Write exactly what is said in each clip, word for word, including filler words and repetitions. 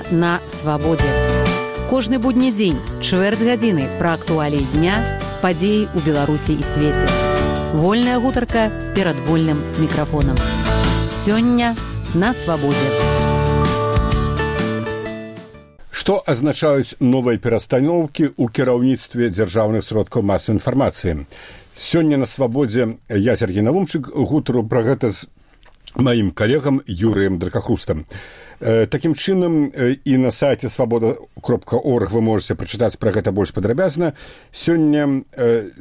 Сёння на свабодзе. Кожны будні дзень, чвэрць гадзіны пра актуаліі дня, падзеі ў Беларусі і свеце. Вольная гутарка перад вольным мікрафонам. Сёння на свабодзе. Што азначаюць новыя перастаноўкі ў кіраўніцтве дзяржаўных сродкаў масавай інфармацыі? Сёння на свабодзе я, Сергей Навумчык, гутару пра гэта з маім калегам Юрыем Дракахрустам. Такім чынам, і на сайце свабода кропка орг вы можете прачытаць пра гэта больш падрабязна. Сёння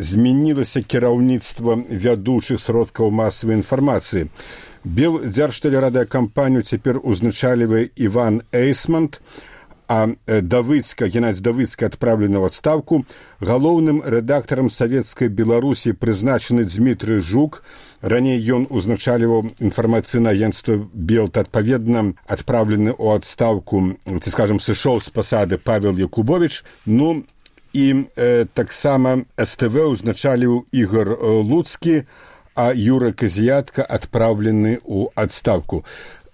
змянілася кіраўніцтва вядучых сродкаў масавай інфармацыі. Белдзяржтэлерадыёкампанію цяпер узначальвае Іван Эйсмант, а Давыцка, Геннадзь Давыцка адпраўлены ў адстаўку. Галоўным рэдактарам Савецкай Беларусі прызначаны Дмітрый Жук. Раней ён узначальваў інфармацыйнае агенцтва Белт, адпаведна адпраўлены ў адстаўку, ці, скажам, сышоў з пасады Павел Якубович. Ну, і э, таксама эс тэ вэ узначаліў Ігор Луцкі, а Юра Казіятка адпраўлены ў адстаўку.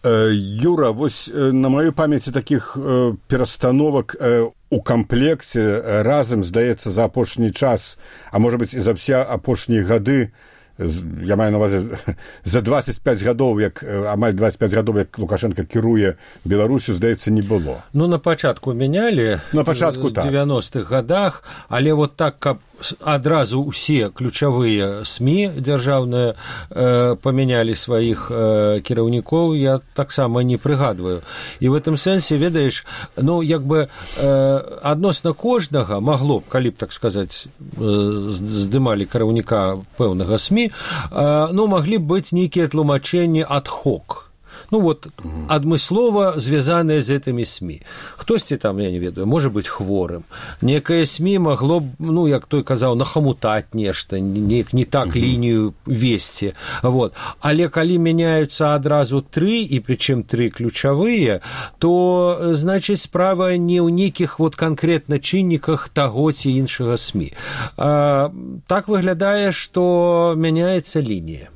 Юра, вось на маёй памяці такіх э, перастановак э, у камплекце э, разам, здаецца, за апошні час, а можа быць і за ўсе апошнія гады, я маю на увазе за двадцять пять гадоў, як амаль двадцять пять гадоў, як Лукашенко кіруе Беларусю, здаецца, не было. Ну, на пачатку мянялі, на пачатку, так. В девяностых гадах, але вот так, каб адразу ўсе ключавыя СМІ дзяржаўныя э, памянялі сваіх э, кіраўнікоў, я таксама не прыгадваю. І в этом сэнсе, ведаеш, ну, як бы э, адносна кожнага магло б, калі б, так сказаць, э, здымалі кіраўніка пэўнага СМІ, э, ну, маглі б быць нейкія тлумачэнні ад-хок. Ну, вот, адмыслова звязаныя з гэтымі СМІ. Хтосьці там, я не ведаю, можа быць хворым. Некае СМІ магло б, ну, як той казаў, нахамутаць нешта, не, не так лінію весці. Вот. Але калі мяняюцца адразу тры, і прычым тры ключавыя, то, значыць, справа не ў нейкіх вот канкрэтна чынніках таго ці іншага СМІ. А, так выглядае, што мяняецца лінія.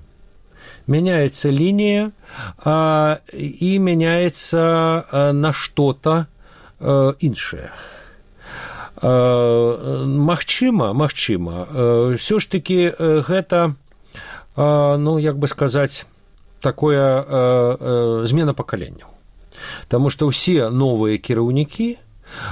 Меняется линия, а, и меняется а, на что-то а, іншае. А, магчыма, магчыма, а, все ж таки гэта, а, ну, як бы сказаць, такое а, а, змена пакаленняў. Таму што ўсе новыя кіраўнікі,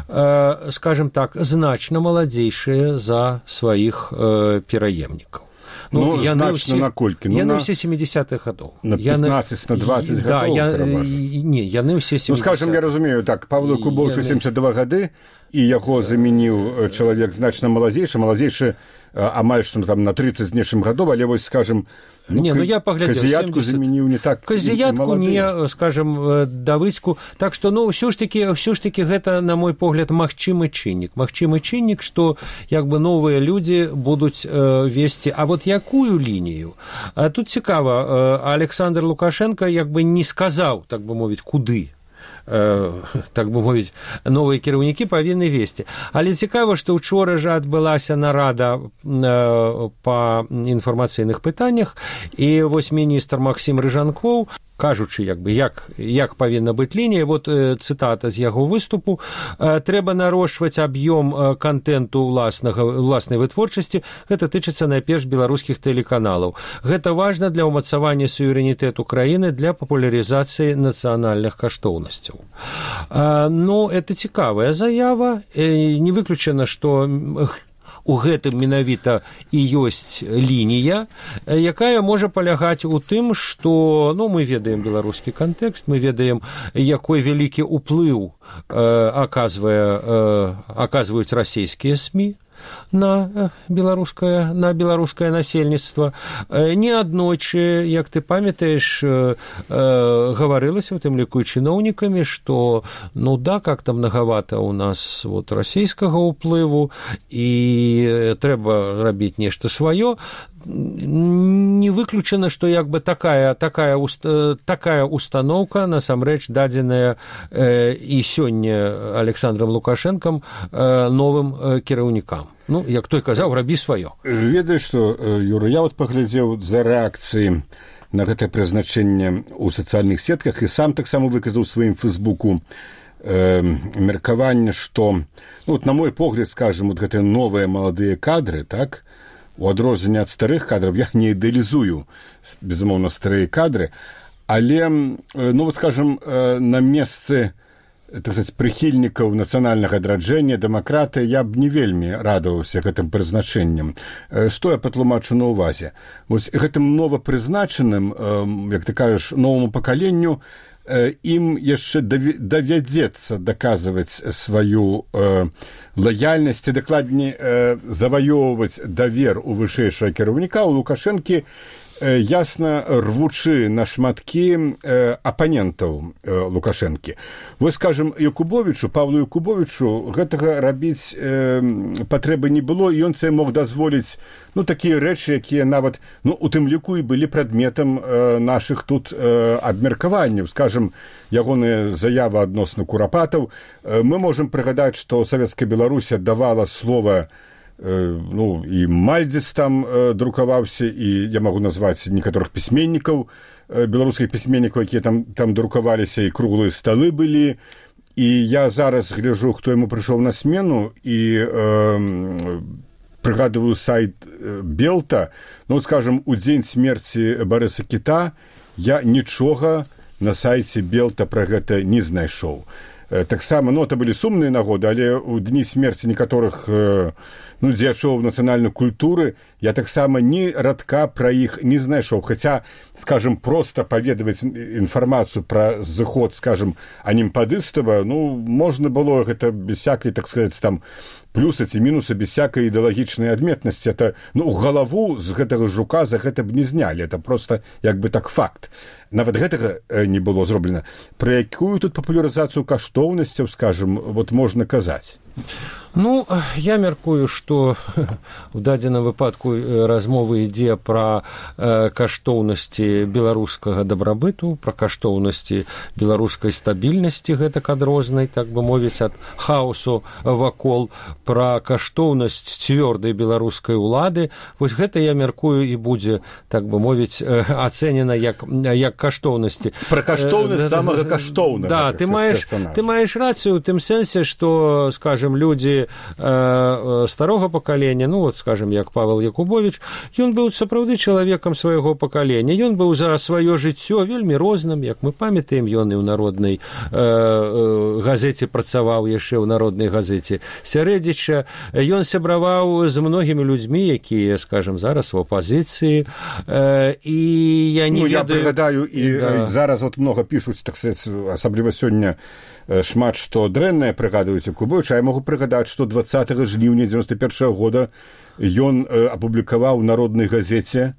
а, скажем так, значна маладзейшыя за сваіх а, пераемнікаў. Ну, ну значна на колькі? Ну, яны на... ўсе семидесятых гадоў. На пятнадцать, на двадцать да, гадоў, я... пераважна. Не, яны ўсе семидесятых. Ну, скажем, я разумею, так, Павлу Якубовичу яны... семьдесят два гады, і яго замяніў чалавек значна маладзейшы, маладзейшы амаль што там на тридцать з нечым гадоў, але вось, скажем, ну, не, ну, я поглядел, Казіятку замяніў не так Казіятку не, скажем, Давыцку. Так што, ну, ўсё ж такі, ўсё ж такі гэта, на мой погляд, магчымы чыннік. Магчымы чыннік, што, як бы, новыя людзі будуць э, весці. А вот якую лінію? А тут цікава, э, Александр Лукашенко, як бы, не сказаў, так бы мовіць, куды. Так бы мовіць, новыя кіраўнікі павінны весці. Але цікава, што ўчора жа адбылася нарада па інфармацыйных пытаннях, і вось міністр Максім Рыжанкоў, кажучы, як бы, як, як павінна быць лінія, вот цытата з яго выступу: «Трэба нарошчваць аб'ём кантэнту ўласнага, ўласнай вытворчасці, гэта тычыцца найперш беларускіх тэлеканалаў. Гэта важна для ўмацавання суверэнітэту краіны, для папулярызацыі нацыянальных каштоўнасцяў». Ну, это цікавая заява. Не выключана, што у гэтым менавіта і ёсць лінія, якая можа палягаць у тым, што, ну, мы ведаем беларускі кантэкст, мы ведаем, якой вялікі ўплыў аказвае, аказваюць расійскія СМІ на беларускае, на беларускае насельніцтва. Неаднойчы, як ты памятаеш, гаварылася, у тым ліку і чыноўнікамі, што, ну да, как-то многовато у нас вот расійскага ўплыву, і трэба рабіць нешта сваё. Не выключана, што як бы такая, такая, такая установка насамрэч дадзеная э, і сёння Александром Лукашенком э, новым э, кіраўнікам. Ну, як той казаў, рабі сваё. Ведаеш што, Юра, я вот паглядзеў за рэакцыі на гэтае прызначэнне ў сацыяльных сетках і сам таксама выказаў у сваім фэйсбуку э, меркаванне, што ну, вот, на мой погляд, скажем, вот гэтыя новыя маладыя кадры, так, у адрозненне ад старых кадраў, я не ідэалізую, безумоўна, старыя кадры, але, ну, вот, скажем, на месцы, так сказать, прыхільнікаў нацыянальнага адраджэння, дэмакратыі, я б не вельмі радаваўся гэтым прызначэннем. Што я патлумачу на ўвазе? Вось гэтым новапрызначаным, як ты кажаш, новаму пакаленню, ім яшчэ давядзецца даказваць сваю э, лаяльнасць і дакладней э, заваёўваць давер у вышэйшага кіраўніка, у Лукашэнкі, э, ясна рвучы на шматкі э, апанентаў э, Лукашэнкі. Вось, скажем, Якубовічу, Павлу Якубовічу гэтага рабіць э, патрэбы не было, і ён це мог дазволіць ну, такія рэчы, якія нават ну, у тым ліку і былі прадметам э, нашых тут э, абмеркаванняў. Скажем, ягоныя заявы адносна курапатаў. Э, мы можам прыгадаць, што Савецкая Беларусь давала слова э, ну, і Мальдзіс там э, друкаваўся, і я магу назваць некаторых пісьменнікаў, беларускіх пісьменнікаў, якія там, там друкаваліся, і круглыя сталы былі. І я зараз гляжу, хто яму прыйшоў на смену, і э, прыгадываю сайт Белта. Ну, скажем, у дзень смерці Барыса Кіта я нічога на сайце Белта пра гэта не знайшоў. Таксама, ну, это былі сумныя нагоды, але у дні смерці некаторых ну, дзеячоў нацыянальнай культуры я таксама ні радка пра іх не знайшоў. Хаця, скажем, проста паведаваць інфармацыю пра зыход, скажем, анімпадыстава, ну, можна было гэта без всякай, так сказаць, там, плюсы ці мінусы, без всякай ідэалагічнай адметнасці. Это, ну, галаву з гэтага жука за гэта б не знялі. Это просто, як бы так, факт. Нават гэтага не было зроблена. Пра якую тут папулярызацыю каштоўнасцяў, скажем, вот можна казаць? Ну, я мяркую, што у дадзеным выпадку размова ідзе пра э, каштоўнасці беларускага дабрабыту, пра каштоўнасці беларускай стабільнасці гэтак адрознай, так бы мовіць, ад хаосу вакол, пра каштоўнасць цвёрдай беларускай улады. Вось гэта, я мяркую, і будзе, так бы мовіць, э, ацэнена як, як каштоўнасці. Пра каштоўнасць э, самага каштоўнага. Да, ты маеш, ты маеш рацыю ў тым сэнсе, што, скажем, людзі старога пакалення, ну, вот, скажем, як Павел Якубович, ён быў сапраўды чалавекам свайго пакалення. Ён быў за сваё жыццё вельмі розным, як мы памятаем, ён і ў народнай э, э, газеце працаваў, яшчэ ў народнай газеце Сярэдзіча. Ён сябраваў з многімі людзьмі, якія, скажем, зараз у апазіцыі. Э, і я не ну, ведаю... Я прыгадаю, і да. Зараз вот много пішуць, так сказать, асабліва сёння, шмат што дрэннае прыгадваюць Якубовіча. Я магу прыгадаць, што двадцатага жніўня дзевяносто першага года ён э, апублікаваў у народнай газеце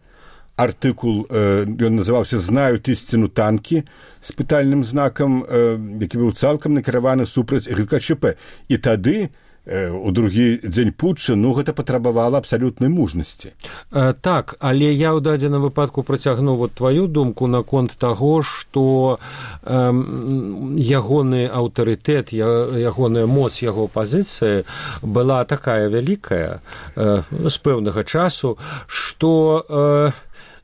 артыкул, э, ён называўся «Знают істину танкі» з пытальным знакам, э, які быў цалкам накіраваны супраць ГКЧП. І тады у другі дзень путча, ну, гэта патрабавала абсалютнай мужнасці. Э, так, але я ў дадзеным выпадку працягну вот тваю думку наконт таго, што э, ягоны аўтарытэт, ягоная моц яго пазіцыі была такая вялікая э, з пэўнага часу, што э,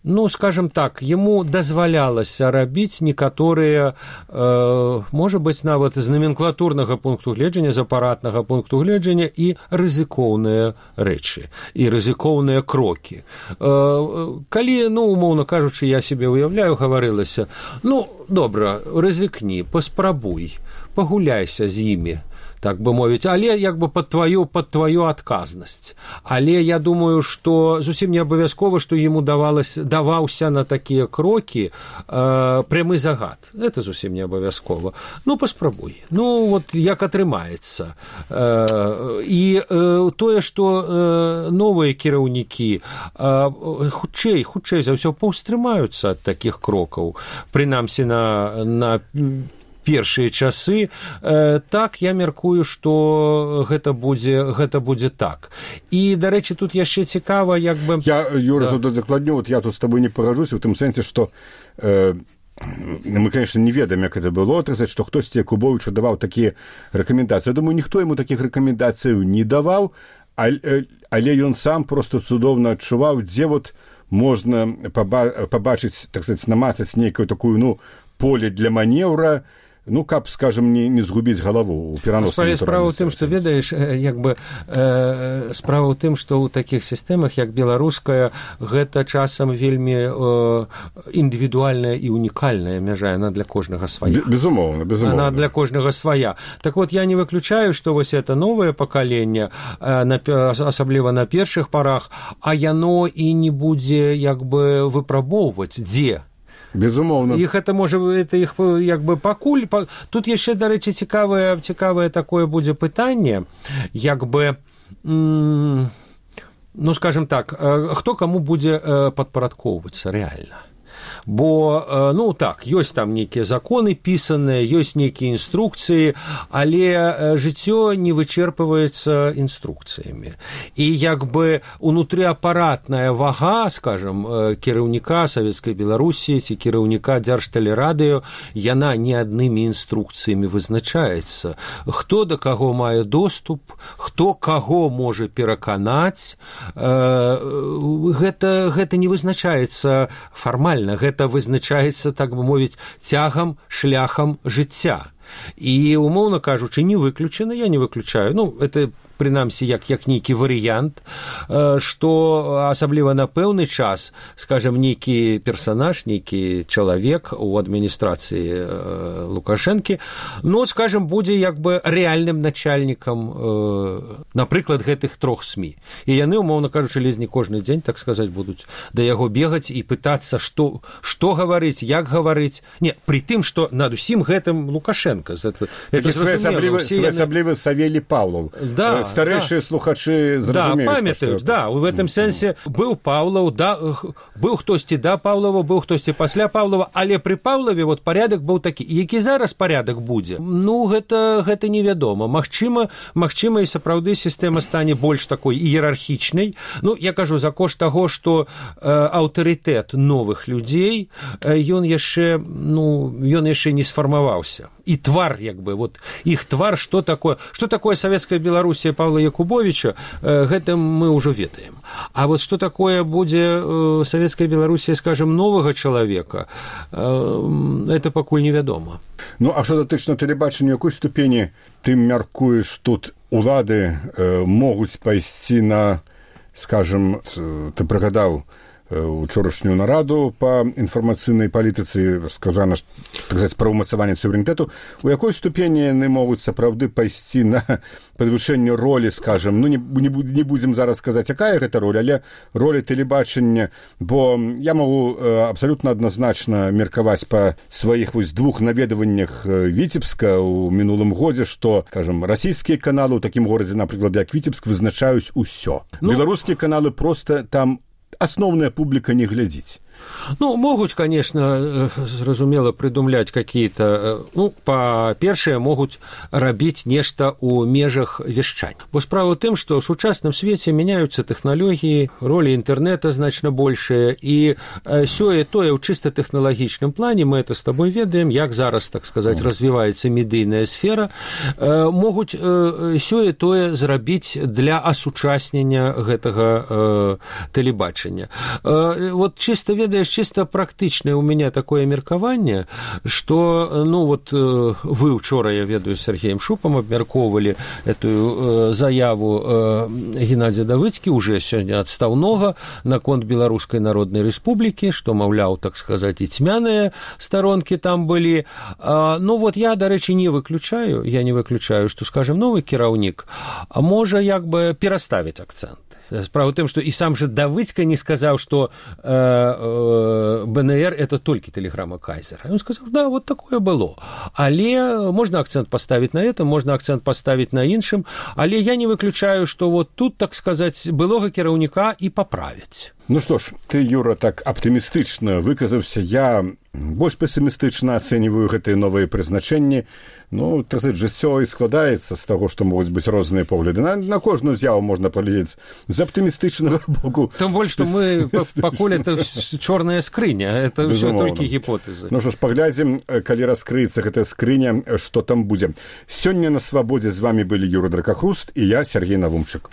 ну, скажем так, ему дазвалялася рабіць некаторыя, э, можа быць, нават з наменклатурнага пункту гледжання, з апаратнага пункту гледжання і рызыкоўныя рэчы, і рызыкоўныя крокі. Э, калі, ну, умоўна кажучы, я себе уяўляю, гаварылася, ну, добра, рызыкні, паспрабуй, пагуляйся з імі, так бы мовіць, але як бы пад тваю, пад тваю адказнасць. Але я думаю, што зусім не абавязкова, што яму давалось, даваўся на такія крокі э, прямы загад. Это зусім не абавязкова. Ну, паспрабуй. Ну, вот як атрымаецца. Э, і э, тое, што э, новыя кіраўнікі э, хутчэй, хутчэй за ўсё паўстрымаюцца ад такіх крокаў. Прынамсі на, на першыя часы, э, так, я мяркую, што гэта будзе, гэта будзе так. І, дарэчы, тут яшчэ цікава, як бы... Я, Юра, да. Тут дакладню, вот я тут з табой не пагажуся, у тым сэнсе, што э, мы, конечно, не ведаем, як гэта было, так сказать, што хтосьці Якубовічу даваў такія рэкамендацыі. Я думаю, ніхто яму такіх рэкамендацыяў не даваў, але, але ён сам просто цудоўна адчуваў, дзе вот можна пабачыць, так сказать, намацаць нейкую такую, ну, поле для манеўра, ну, каб, скажем, не, не згубіць галаву ў пераносным. Справа ў тым, што, ведаеш, як бы, э, справа ў тым, што ў такіх сістэмах, як беларуская, гэта часам вельмі э, індывідуальная і унікальная мяжа, яна для кожнага свая. Безумоўна, безумоўна. Она для кожнага свая. Так вот, я не выключаю, што вось это новае пакаленне, э, на, асабліва на першых парах, а яно і не будзе, як бы, выпрабоўваць, дзе. Безумоўна. Іх это можа, это іх як бы пакуль. Па... Тут яшчэ, дарэчы, цікавае, цікавае такое будзе пытанне, як бы, м- ну, скажем так, хто каму будзе падпарадкоўвацца рэальна. Бо, ну, так, ёсць там нейкія законы пісаныя, ёсць нейкія інструкцыі, але жыццё не вычерпваецца інструкцыямі. І як бы унутрыапаратная вага, скажем, кіраўніка Савецкай Беларусі ці кіраўніка Дзяржтэлерадыё, яна не аднымі інструкцыямі вызначаецца. Хто да каго мае доступ, хто каго можа пераканаць, гэта, гэта не вызначаецца фармальна, гэта вызначаецца, так бы мовіць, цягам, шляхам жыцця. І, умоўна кажучы, не выключана, я не выключаю. Ну, это, прынамсі, як, як нейкі варыянт, што асабліва на пэўны час, скажем, нейкі персанаж, нейкі чалавек у адміністрацыі Лукашэнкі, ну, скажем, будзе як бы рэальным начальнікам, напрыклад, гэтых трох СМІ. І яны, умоўна кажучы, ледзь не кожны дзень, так сказаць, будуць да яго бегаць і пытацца, што, што гаварыць, як гаварыць. Не, пры тым, што над усім гэтым Лукашенко. Это, это своеасаблівы яны... Савелій Павлов. Да, старэйшыя да. слухачы зразумеюць. Да, памятаюць, да, у гэтым сэнсе быў Павлов, да, быў хтосьці да Павлова, быў хтосьці пасля Павлова, але пры Павлове вот парядак быў такі. Які зараз парядак будзе? Ну, гэта, гэта невядома. Магчыма, магчыма і сапраўды сістэма стане больш такой іерархічнай. Ну, я кажу, за кошт таго, што э, аўтарытэт новых людзей, э, ён яшчэ, ну, ён яшчэ не сфармаваўся. І твар, як бы, вот, іх твар, што такое, што такое Савецкая Беларусія Павла Якубовича, э, гэтым мы ўжо ведаем. А вот што такое будзе э, Савецкая Беларусія, скажем, новага чалавека, э, это пакуль невядома. Ну, а што датычна тэлебачання, якой ступені ты мяркуеш тут улады э, могуць пайсці на, скажем, ты прыгадаў учорашнюю нараду па інфармацыйнай палітыцы, сказана, так сказаць, пра ўмацаванне суверэнітэту, у якой ступені яны могуць сапраўды пайсці на падвышэнне ролі, скажем, ну, не, не, не будзем зараз сказаць, якая гэта роля, але роля тэлебачання, бо я магу абсалютна адназначна меркаваць па сваіх вось двух наведаваннях Віцебска ў минулым годзе, што, скажем, расійскія каналы ў такім горадзе, напрыклад, як Віцебск, вызначаюць усё. Ну, беларускія каналы проста там асноўная публіка не глядзіць. Ну, могуць, конечно, зразумела, придумляць какие-то, ну, па-першае, могуць рабіць нешта ў межах вяшчання. Бо справа ў тым, што ў сучасным свеце мяняюцца тэхналогіі, ролі інтэрнэта значна большая, і сёе-тое ў чыста тэхналагічным плане, мы это з табой ведаем, як зараз, так сказаць, развіваецца медыйная сфера, могуць сёе-тое зрабіць для асучаснення гэтага тэлебачання. Вот чыста ведаеш, чисто практычнае у меня такое меркаванне, што, ну, вот вы учора, я ведаю, с Сергеем Шупам абмяркоўвалі эту заяву Геннадзя Давыдзкі, уже сёння адстаўнога, наконт Беларускай Народнай Рэспублікі, што, маўляў, так сказаць, і цьмяныя старонкі там былі. Ну, вот я, дарэчы, не выключаю, я не выключаю, што, скажем, новы кіраўнік можа, як бы, пераставіць акцэнт. Справа ў тым, што і сам жа Давыдзька не сказаў, што э, э, БНР – это толькі тэлеграма Кайзера. Ён сказаў, да, вот такое было. Але можна акцэнт паставіць на этом, можна акцэнт паставіць на іншым, але я не выключаю, што вот тут, так сказаць, былога кіраўніка і паправяць. Ну што ж, ты, Юра, так аптымістычна выказаўся. Я больш песімістычна ацэньваю гэтыя новыя прызначэнні. Ну, так сказаць, жыццё і складаецца з таго, што могуць быць розныя погляды. На, на кожную з'яву можна паглядзець з аптымістычнага боку. Тым больш, што мы пакуль это чорная скрыня, это ўсё толькі гіпотэзы. Ну што ж, паглядзім, калі раскрыецца гэтая скрыня, што там будзе. Сёння на свабодзе з вамі былі Юра Дракахруст і я, Сергей Навумчык.